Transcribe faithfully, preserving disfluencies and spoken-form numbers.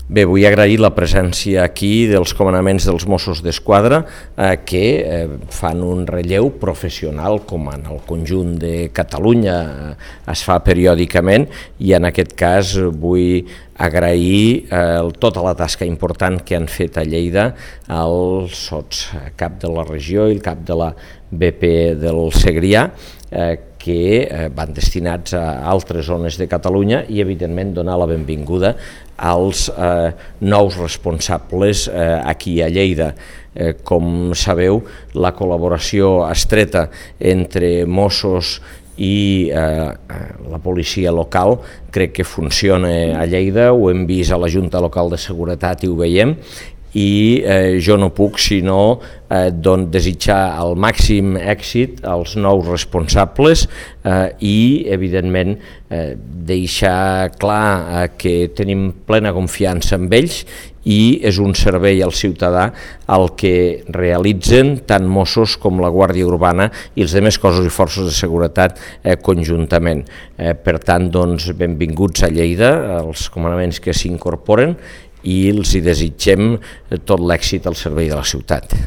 Bé, vull agrair la presència aquí dels comandaments dels Mossos d'Esquadra eh, que eh, fan un relleu professional com en el conjunt de Catalunya eh, es fa periòdicament, i en aquest cas vull agrair eh, tota la tasca important que han fet a Lleida el sots cap de la regió i el cap de la B P del Segrià, eh, que eh, van destinats a altres zones de Catalunya, i evidentment donar la benvinguda als eh, nous responsables eh, aquí a Lleida. Eh, com sabeu, la col·laboració estreta entre Mossos i eh, la policia local crec que funciona a Lleida, ho hem vist a la Junta Local de Seguretat i ho veiem, i eh, jo no puc sinó eh, doncs desitjar el màxim èxit als nous responsables eh, i evidentment eh, deixar clar eh, que tenim plena confiança en ells, i és un servei al ciutadà el que realitzen tant Mossos com la Guàrdia Urbana i els altres cossos i forces de seguretat eh, conjuntament. Eh, per tant, doncs, benvinguts a Lleida, els comandaments que s'incorporen, i els hi desitgem tot l'èxit al servei de la ciutat.